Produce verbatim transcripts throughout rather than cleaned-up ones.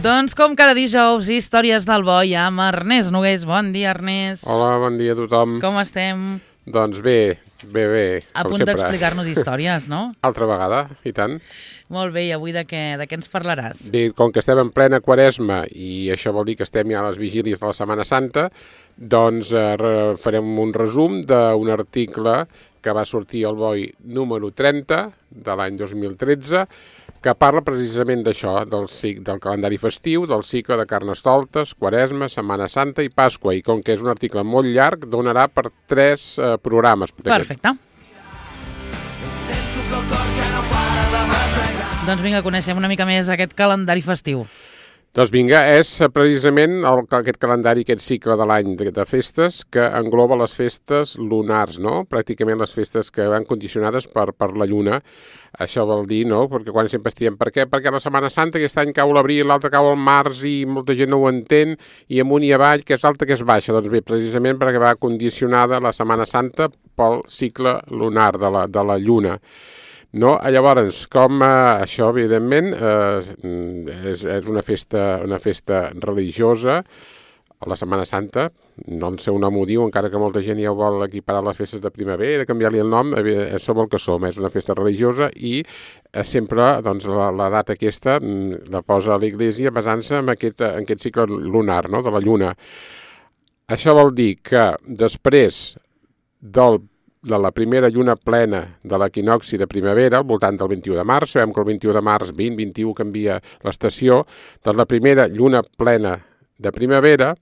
Doncs com cada dijous, històries del boi amb Ernest Nogués. Bon dia, Ernest. Hola, bon dia a tothom. Com estem? Doncs bé, bé, bé, A com punt sempre. d'explicar-nos històries, no? Altra vegada, i tant. Molt bé, i avui de què, de què ens parlaràs? Bé, com que estem en plena Quaresma i això vol dir que estem ja a les vigílies de la Setmana Santa, doncs eh, re- farem un resum d'un article que va sortir al Boi número trenta de l'any dos mil tretze, que parla precisament d'això, del, cic- del calendari festiu, del cicle de Carnestoltes, Quaresma, Setmana Santa i Pasqua. I com que és un article molt llarg, donarà per tres eh, programes. Perfecte. Doncs vinga, coneixem una mica més aquest calendari festiu. Doncs vinga, és precisament el, aquest calendari, aquest cicle de l'any de, de festes que engloba les festes lunars, no? Pràcticament les festes que van condicionades per, per la lluna. Això vol dir, no? Perquè quan sempre estiem, per què? Perquè la Setmana Santa aquest any cau l'abril, l'altre cau al març i molta gent no ho entén, i amunt i avall, que és alta, que és baixa. Doncs bé, precisament perquè va condicionada la Setmana Santa pel cicle lunar de la, de la lluna. No? Llavors, com eh, això, evidentment, eh, és, és una festa, una festa religiosa, la Setmana Santa, no en sé un nom ho diu, encara que molta gent ja ho vol equiparar a les festes de primavera, canviar-li el nom, eh, som el que som, és una festa religiosa i eh, sempre doncs, la, la data aquesta mm, la posa a l'Església basant-se en, aquest, en aquest cicle lunar, no? De la lluna. Això vol dir que després del de la primera lluna plena de l'equinoxi de primavera, al voltant del vint-i-u de març, sabem que el vint-i-u de març, vint, vint-i-u canvia l'estació, doncs la primera lluna plena de primavera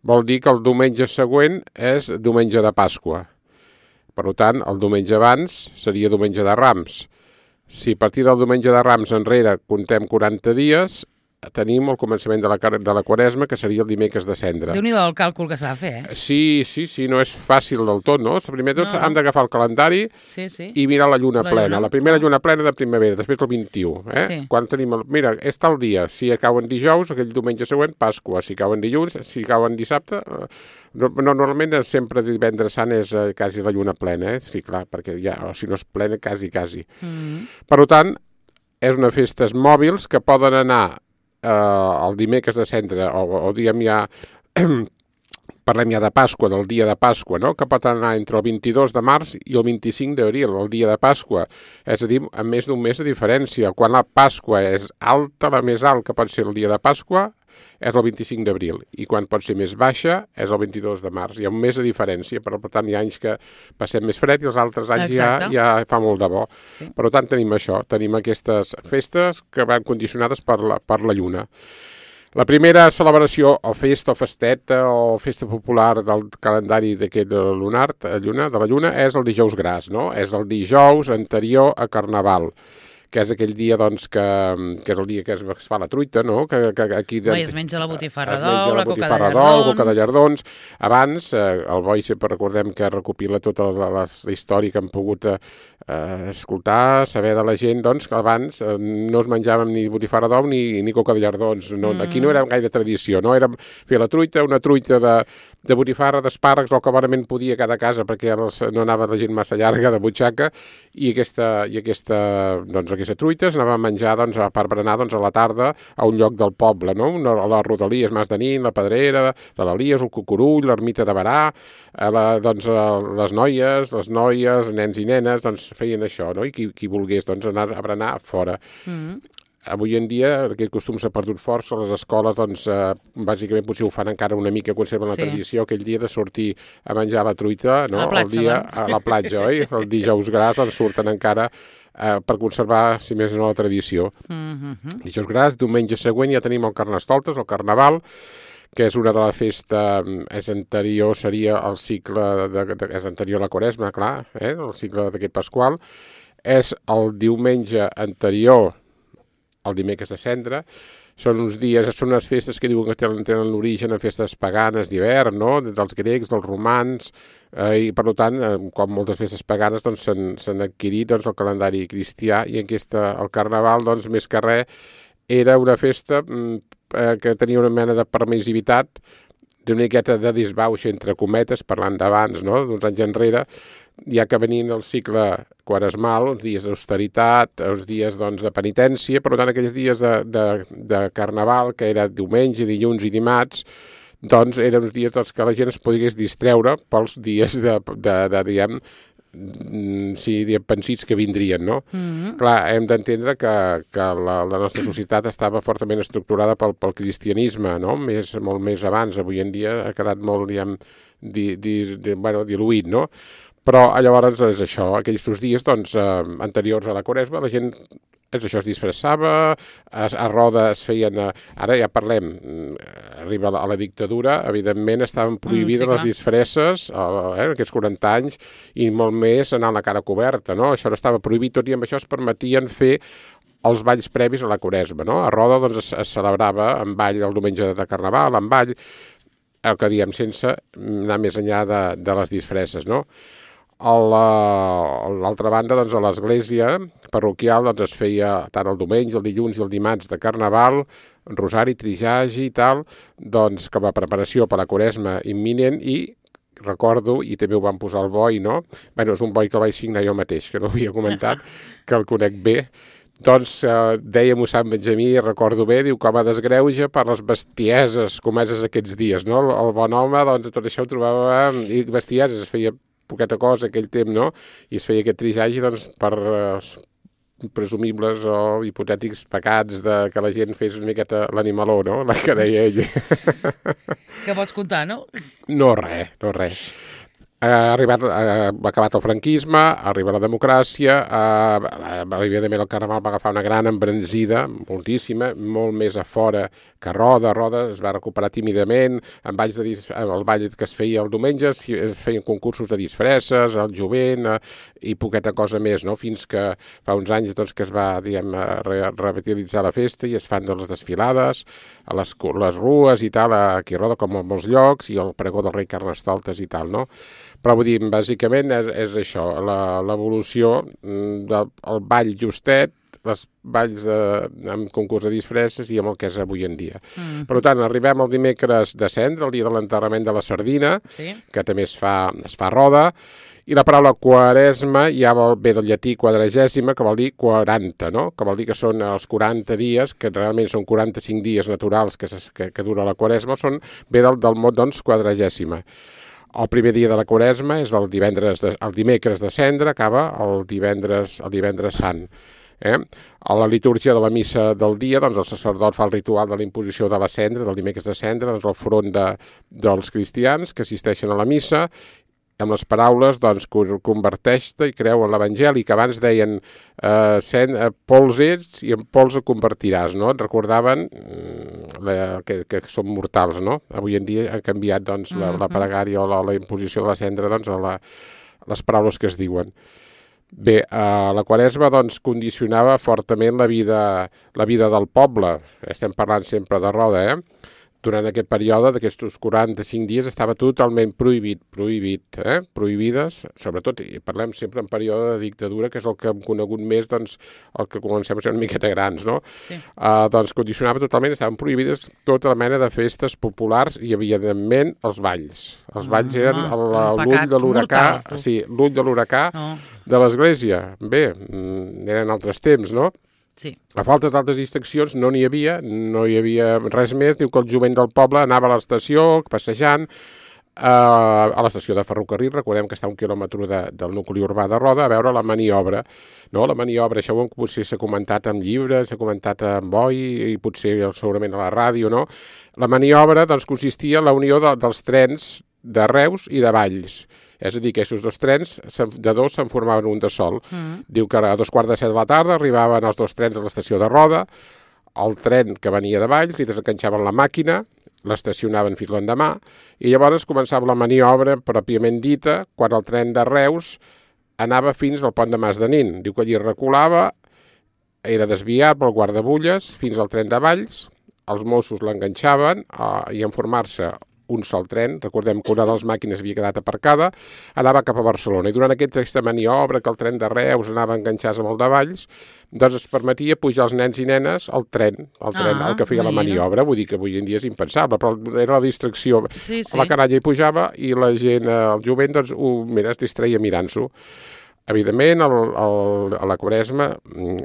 vol dir que el diumenge següent és diumenge de Pasqua. Per tant, el diumenge abans seria diumenge de Rams. Si a partir del diumenge de Rams enrere contem quaranta dies, tenim el començament de la, de la Quaresma, que seria el dimecres de Cendra. Déu-n'hi-do el càlcul que s'ha de fer, eh? Sí, sí, sí, no és fàcil del tot, no? Primer tot No. hem d'agafar el calendari Sí, sí. i mirar la lluna La plena, lluna. la primera lluna plena de primavera, després del vint-i-u, eh? Sí. Quan tenim el... Mira, és tal dia, si cauen dijous, aquell diumenge següent, Pasqua, si cauen dilluns, si cauen dissabte... Eh, no, normalment és sempre divendres sant és eh, quasi la lluna plena, eh? Sí, clar, perquè ja, o si no és plena, quasi, quasi. Mm. Per tant, és una festes mòbils que poden anar eh, el dimecres de Cendra, o, o diguem ja... Parlem ja de Pasqua, del dia de Pasqua, no? Que pot anar entre el vint-i-dos de març i el vint-i-cinc d'abril, el dia de Pasqua. És a dir, amb més d'un mes de diferència. Quan la Pasqua és alta, la més alt que pot ser el dia de Pasqua, és el vint-i-cinc d'abril. I quan pot ser més baixa, és el vint-i-dos de març. Hi ha un mes de diferència, però per tant hi ha anys que passem més fred i els altres anys ja, Exacte. ja fa molt de bo. Sí. Per tant, tenim això, tenim aquestes festes que van condicionades per la, per la lluna. La primera celebració, o festa, o festeta, o festa popular del calendari d'aquest lunar, lluna, de la lluna, és el dijous gras, no? És el dijous anterior a Carnaval, que és aquell dia, doncs, que, que és el dia que es, es fa la truita, no? Que, que aquí... De, Oi, es menja la botifarra es menja d'ou, la la coca de botifarra d'ou, llardons. coca de llardons. Abans, eh, el Boi sempre recordem que recopila tota la, la, la història que hem pogut eh, escoltar, saber de la gent, doncs, que abans eh, no es menjàvem ni botifarra d'ou ni, ni coca de llardons. No, Mm. Aquí no era gaire tradició, no? Era fer la truita, una truita de, de botifarra, d'espàrrecs, el que bonament podia a cada casa, perquè els, no anava la gent massa llarga de butxaca, i aquesta, i aquesta, doncs, aquesta truita s'anava a menjar, doncs, per berenar, doncs, a la tarda a un lloc del poble, no? Una, a les Rodalies, Mas de Nin, la Pedrera, de l'Elies, el Cucurull, l'Ermita de Barà, a la, doncs, a les noies, les noies, nens i nenes, doncs, feien això, no? I qui, qui volgués, doncs, anar a berenar fora. Mm. Avui en dia aquest costum s'ha perdut força, les escoles doncs, eh, bàsicament potser ho fan encara una mica, conserven la Sí. tradició, aquell dia de sortir a menjar la truita, no? A la platja, el dia no? a la platja, oi? El dijous gras doncs, surten encara eh, per conservar, si més no, la tradició. Mm-hmm. Dijous gras, diumenge següent ja tenim el Carnestoltes, el Carnaval, que és una de la festa, és anterior, seria el cicle, de, de, és anterior a la Quaresma, clar, eh? El cicle d'aquest Pasqual, és el diumenge anterior el dimecres de Cendra. Són uns dies, són unes festes que diuen que tenen, tenen l'origen en festes paganes d'hivern, no? Dels grecs, dels romans, eh, i per tant, eh, com moltes festes paganes, doncs, s'han, s'han adquirit doncs, el calendari cristià, i aquesta, el Carnaval, doncs, més que res, era una festa eh, que tenia una mena de permissivitat, d'una miqueta de disbauxa, entre cometes, parlant d'abans, no? D'uns anys enrere, ja que venint el cicle quaresmal, uns dies d'austeritat, uns dies doncs, de penitència, per tant aquells dies de, de, de carnaval, que era diumenge, dilluns i dimarts, doncs eren uns dies doncs, que la gent es pogués distreure pels dies de, de, de diguem, sí, diguem, pensits que vindrien, no? Mm-hmm. Clar, hem d'entendre que, que la, la nostra societat estava fortament estructurada pel, pel cristianisme, no? Més, molt més abans, avui en dia ha quedat molt, diguem, di, di, di, bueno, diluït, no? Però llavors és això, aquells dos dies doncs, eh, anteriors a la Quaresma, la gent és això, es disfressava, a, a Roda es feien... A, ara ja parlem, arriba a la, a la dictadura, evidentment estaven prohibides mm, sí, les disfresses, eh, aquests quaranta anys, i molt més anar a la cara coberta, no? Això no estava prohibit, tot i amb això es permetien fer els balls previs a la Quaresma, no? A Roda doncs, es, es celebrava en ball el diumenge de Carnaval, en ball, el que diem, sense anar més enllà de, de les disfresses, no? A l'altra banda, doncs, a l'església parroquial doncs, es feia tant el diumenge, el dilluns i el dimarts de Carnaval, rosari, trijagi i tal, doncs, com a preparació per la Quaresma imminent i recordo, i també ho van posar al boi, no? Bé, és un boi que el vaig signar jo mateix, que no havia comentat, que el conec bé. Doncs eh, dèiem-ho Sant Benjamí, recordo bé, diu com a desgreuja per les bestieses comeses aquests dies, no? El, el bon home, doncs, tot això ho trobava, i bestieses, es feia poqueta cosa aquell temps, no? I es feia aquest trijagi, doncs, per eh, presumibles o hipotètics pecats de que la gent fes una miqueta l'animaló, no? La que deia ell. Què pots contar, no? No res, no res. Ha arribat, ha acabat el franquisme, arriba la democràcia, eh, evidentment el Carnaval va agafar una gran embranzida, moltíssima, molt més a fora que Roda. Roda es va recuperar tímidament, en balls de, el ball que es feia el diumenge es feien concursos de disfresses, el jovent eh, i poqueta cosa més, no? Fins que fa uns anys doncs, que es va diguem, re revitalitzar la festa i es fan doncs, les desfilades a les, les rues i tal, aquí a Roda com a molts llocs, i el pregó del rei Carnestoltes i tal, no? Però vull dir, bàsicament és, és això, l'evolució del ball justet, les balls de, amb concurs de disfresses i amb el que és avui en dia. Mm. Per tant, arribem al dimecres de Cendra, el dia de l'enterrament de la sardina, sí, que també es fa, es fa a Roda, i la paraula quaresma ja vol, ve del llatí quadragèsima, que vol dir quaranta, no? Que vol dir que són els quaranta dies, que realment són quaranta-cinc dies naturals que, que, que dura la quaresma, són, ve del, del mot, doncs, quadragèsima. El primer dia de la Quaresma és el divendres, de, el dimecres de Cendra, acaba el divendres, el divendres sant. Eh? A la litúrgia de la missa del dia, doncs el sacerdot fa el ritual de la imposició de la cendra, del dimecres de Cendra, doncs al front de, dels cristians que assisteixen a la missa, amb les paraules, doncs, converteix-te i creu en l'Evangeli, que abans deien eh, cent, eh, pols ets i en pols et convertiràs, no? Et recordaven la, que, que són mortals, no? Avui en dia ha canviat, doncs, la, la pregària o la, la imposició de la cendra, doncs, a la, les paraules que es diuen. Bé, eh, la Quaresma, doncs, condicionava fortament la vida, la vida del poble. Estem parlant sempre de Roda, eh? Durant aquest període d'aquests quaranta-cinc dies estava totalment prohibit, prohibit, eh? Prohibides, sobretot, i parlem sempre en període de dictadura, que és el que hem conegut més, doncs, el que comencem a ser una miqueta grans, no? Sí. Uh, doncs condicionava totalment, estaven prohibides tota la mena de festes populars i, evidentment, els balls. Els balls ah, eren l'ull de l'huracà, sí, l'ull de l'huracà oh. de l'església. Bé, eren altres temps, no? Sí. A falta d'altres distraccions no n'hi havia, no hi havia res més. Diu que el jovent del poble anava a l'estació, passejant, eh, a l'estació de ferrocarril, recordem que està a un quilòmetre de, del nucli urbà de Roda, a veure la maniobra. No? La maniobra, això potser s'ha comentat en llibres, s'ha comentat en boi i potser segurament a la ràdio, no? La maniobra doncs, consistia en la unió de, dels trens de Reus i de Valls. És a dir, que aquests dos trens, de dos, se'n formaven un de sol. Mm. Diu que a dos quarts de set de la tarda arribaven els dos trens a l'estació de Roda, el tren que venia de Valls, li desenganxaven la màquina, l'estacionaven fins l'endemà, i llavors començava la maniobra pròpiament dita, quan el tren de Reus anava fins al pont de Mas de Nin. Diu que allí reculava, era desviat pel guardabulles fins al tren de Valls, els Mossos l'enganxaven eh, i en formar-se un sol tren, recordem que una de les màquines havia quedat aparcada, anava cap a Barcelona. I durant aquesta maniobra, que el tren de Reus anava enganxats amb el de Valls, doncs es permetia pujar els nens i nenes al tren, al tren, ah, el que feia la maniobra. Vull dir que avui en dia és impensable, però era la distracció. Sí, sí. La canalla hi pujava i la gent, el jovent, doncs, ho, mira, es distreia mirant-s'ho. Evidentment, el, el, a la Quaresma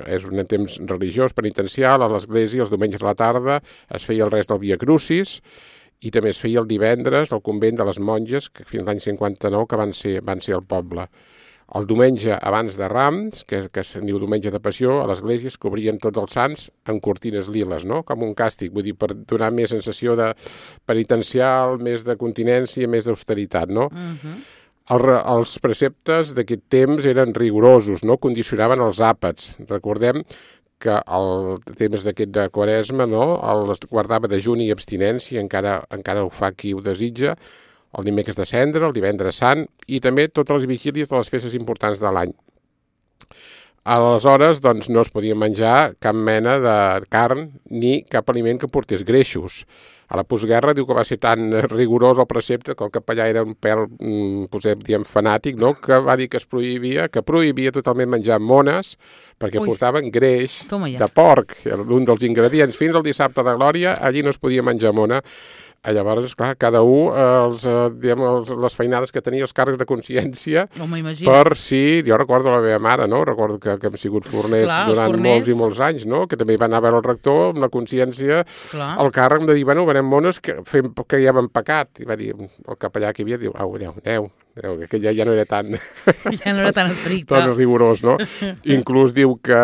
és un temps religiós, penitencial, a l'església els diumenges a la tarda es feia el res del Via Crucis i també es feia el divendres al convent de les monges, que fins l'any cinquanta-nou que van ser, van ser al poble. El diumenge abans de Rams, que, que se'n diu diumenge de Passió, a l'església es cobrien tots els sants amb cortines liles, no? Com un càstig, vull dir, per donar més sensació de penitencial, més de continència, més d'austeritat, no? Uh-huh. El, els preceptes d'aquest temps eren rigorosos, no? Condicionaven els àpats. Recordem que el temps d'aquest de Quaresma, no? El guardava de dejuni i abstinència, encara, encara ho fa qui ho desitja, el dimecres de Cendra, el divendres sant i també totes les vigílies de les festes importants de l'any. Aleshores, doncs, no es podia menjar cap mena de carn ni cap aliment que portés greixos. A la postguerra diu que va ser tan rigorós el precepte que el capellà era un pèl, posem, diem, fanàtic, no? Que va dir que es prohibia, que prohibia totalment menjar mones perquè Ui. portaven greix de porc, un dels ingredients. Fins al dissabte de Glòria, allí no es podia menjar mona. Llavors, esclar, cada un, els, diguem, els, les feinades que tenia, els càrrecs de consciència, no per si, jo recordo la meva mare, no? Recordo que, que hem sigut forners Clar, durant forners... molts i molts anys, no? Que també va anar a veure el rector amb la consciència, Clar. el càrrec de dir, bueno, venem mones que, fem, que ja hem pecat. I va dir, el capellà que hi havia, diu, au, aneu, aneu, que ja, ja no era tan... Ja no era tan estricte. Tan rigorós, no? Inclús diu que,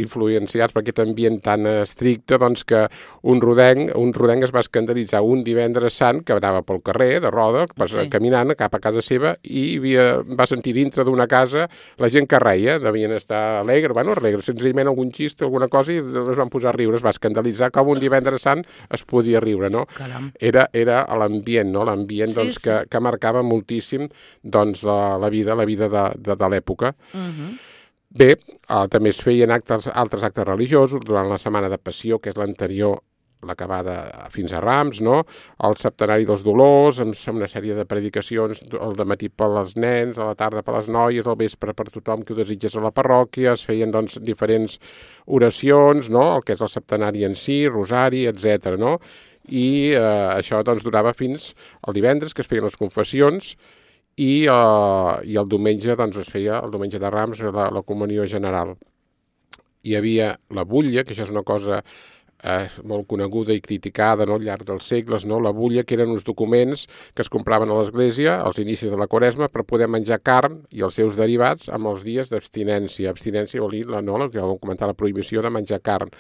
influenciats per aquest ambient tan estricte, doncs que un rodenc, un rodenc es va escandalitzar un divendres sant que anava pel carrer de roda, sí. caminant cap a casa seva i havia, va sentir dintre d'una casa la gent que reia, devien estar alegre, bueno, alegre, senzillament algun xiste, alguna cosa, i es van posar a riure, es va escandalitzar com un divendres sant es podia riure, no? Caram. Era, era l'ambient, no? L'ambient sí, doncs, sí. Que, que marcava moltíssim doncs la, la vida, la vida de, de, de l'època. Uh-huh. Bé, eh, també es feien actes, altres actes religiosos durant la Setmana de Passió, que és l'anterior, l'acabada fins a Rams, no? El Septenari dels Dolors, amb una sèrie de predicacions, el dematí per als nens, a la tarda per les noies, al vespre per tothom que ho desitges a la parròquia, es feien doncs diferents oracions, no? El que és el Septenari en si, Rosari, etcètera, no? I eh, això doncs durava fins al divendres, que es feien les confessions, i, uh, i el diumenge doncs es feia, el diumenge de Rams, la, la comunió general. Hi havia la butlla, que això és una cosa eh, molt coneguda i criticada, no, al llarg dels segles, no? La butlla, que eren uns documents que es compraven a l'església als inicis de la Quaresma per poder menjar carn i els seus derivats amb els dies d'abstinència. Abstinència vol dir, la, no, que vam comentar, la prohibició de menjar carn.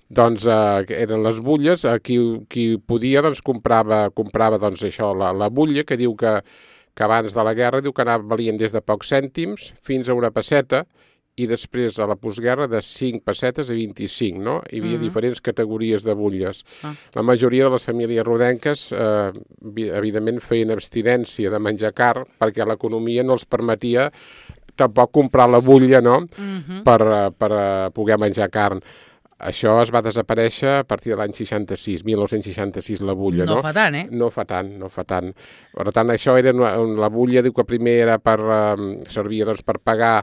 Doncs eh, eren les butlles, eh, qui, qui podia doncs comprava, comprava doncs això, la, la butlla, que diu que que abans de la guerra diu que anava valien des de pocs cèntims fins a una pesseta i després a la postguerra de cinc pessetes a vint-i-cinc, no? Hi havia mm-hmm. diferents categories de butlles. Ah. La majoria de les famílies rodenques eh, evidentment feien abstinència de menjar carn perquè l'economia no els permetia tampoc comprar la butlla, no? Mm-hmm. per, per poder menjar carn. Això es va desaparèixer a partir de l'any seixanta-sis, mil nou-cents seixanta-sis, la butlla, no? No fa tant, eh? No fa tant, no fa tant. Per tant, això era una, la butlla, diu que primer era per, um, servia doncs, per pagar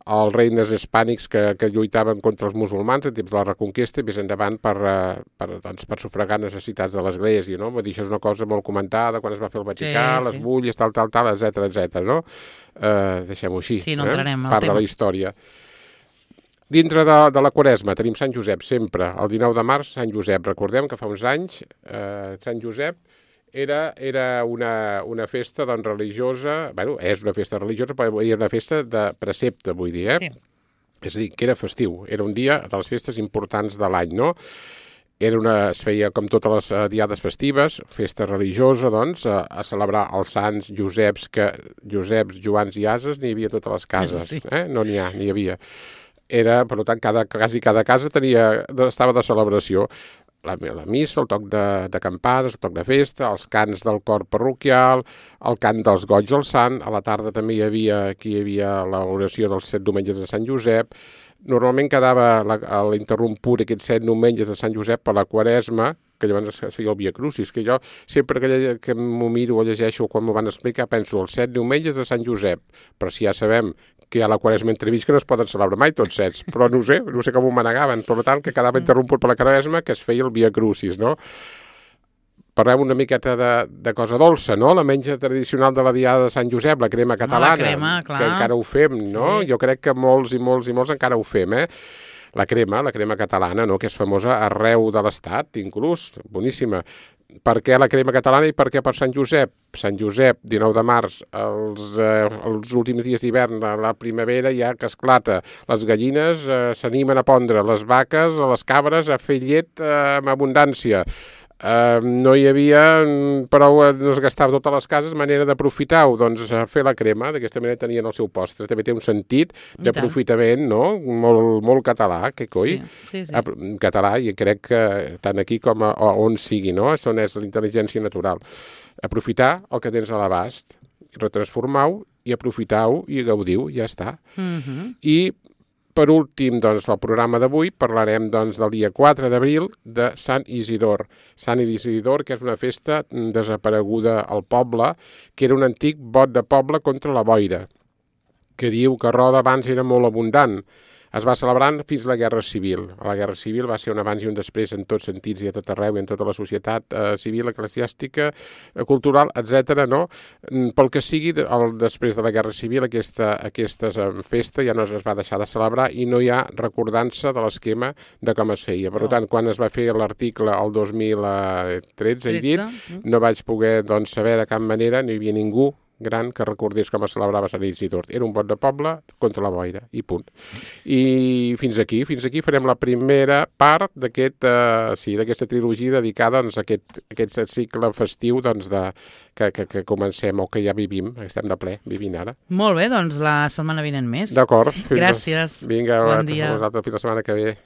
els reines hispànics que, que lluitaven contra els musulmans en temps de la Reconquesta i més endavant per, uh, per, doncs, per sufragar necessitats de l'Església, no? Vull dir, això és una cosa molt comentada quan es va fer el Vaticà, sí, les sí. bulles, tal, tal, tal, etcètera, etcètera, no? Uh, deixem-ho així, sí, no entrarem eh? Part tema. De la història. Dintre de, de la Quaresma tenim Sant Josep sempre, el dinou de març, Sant Josep. Recordem que fa uns anys eh, Sant Josep era, era una, una festa doncs, religiosa, bueno, és una festa religiosa, però era una festa de precepte, vull dir, eh? Sí. És a dir, que era festiu, era un dia de les festes importants de l'any, no? Era una, es feia com totes les uh, diades festives, festa religiosa, doncs, a, a celebrar els sants Joseps, que Joseps, Joans i Ases n'hi havia a totes les cases, sí. eh? No n'hi ha, n'hi havia. Era, per tant, cada, quasi cada casa tenia, estava de celebració. La, la missa, el toc de, de campanes, el toc de festa, els cants del cor parroquial, el cant dels goigs al sant, a la tarda també hi havia, aquí hi havia l'oració dels set diumenges de Sant Josep. Normalment quedava l'interromput aquests set diumenges de Sant Josep per la Quaresma, que llavors es feia el Via Crucis, que jo sempre que, que m'ho miro o llegeixo quan m'ho van explicar penso els set diumenges de Sant Josep, però si ja sabem que hi ha la Quaresma entremig que no es poden celebrar mai tots sets, però no sé, no sé com ho manegaven, per tant que quedava interromput per la Quaresma que es feia el Via Crucis, no? parlem una miqueta de, de cosa dolça, no? La menja tradicional de la Diada de Sant Josep, la crema catalana, la crema, clar. que encara ho fem, no? Sí. Jo crec que molts i molts i molts encara ho fem, eh? La crema, la crema catalana, no? Que és famosa arreu de l'Estat, inclús, boníssima. Per què la crema catalana i per què per Sant Josep? Sant Josep, dinou de març, els, eh, els últims dies d'hivern, la, la primavera ja que esclata. Les gallines eh, s'animen a pondre, les vaques, les cabres a fer llet eh, amb abundància. Uh, no hi havia prou, no es gastava totes les cases, manera d'aprofitar-ho, doncs fer la crema, d'aquesta manera tenien el seu postre, també té un sentit d'aprofitament, no? Molt, molt català, que coi? Sí, sí, sí. Català, i crec que tant aquí com a, a on sigui, no? Això és la intel·ligència natural. Aprofitar el que tens a l'abast, retransformar-ho i aprofitar-ho i gaudir-ho, ja està. Mm-hmm. I per últim, doncs, el programa d'avui parlarem doncs, del dia quatre d'abril de Sant Isidor. Sant Isidor, que és una festa desapareguda al poble, que era un antic bot de poble contra la boira, que diu que Roda abans era molt abundant. Es va celebrant fins la Guerra Civil. La Guerra Civil va ser un abans i un després en tots sentits i a tot arreu i en tota la societat eh, civil, eclesiàstica, eh, cultural, etcètera. No? Pel que sigui, el, després de la Guerra Civil, aquesta, aquesta festa ja no es va deixar de celebrar i no hi ha recordança de l'esquema de com es feia. Per tant, quan es va fer l'article el dos mil tretze, he dit, no vaig poder doncs, saber de cap manera, no hi havia ningú gran que recordés com es celebrava Sant Isidor. Era un bot de poble contra la boira, i punt. I fins aquí, fins aquí farem la primera part d'aquest, uh, sí, d'aquesta trilogia dedicada doncs, a aquest, aquest cicle festiu doncs, de, que, que, que comencem o que ja vivim, estem de ple, vivint ara. Molt bé, doncs la setmana vinent més. D'acord. Gràcies. Vinga, bon dia. A vosaltres, fins la setmana que ve.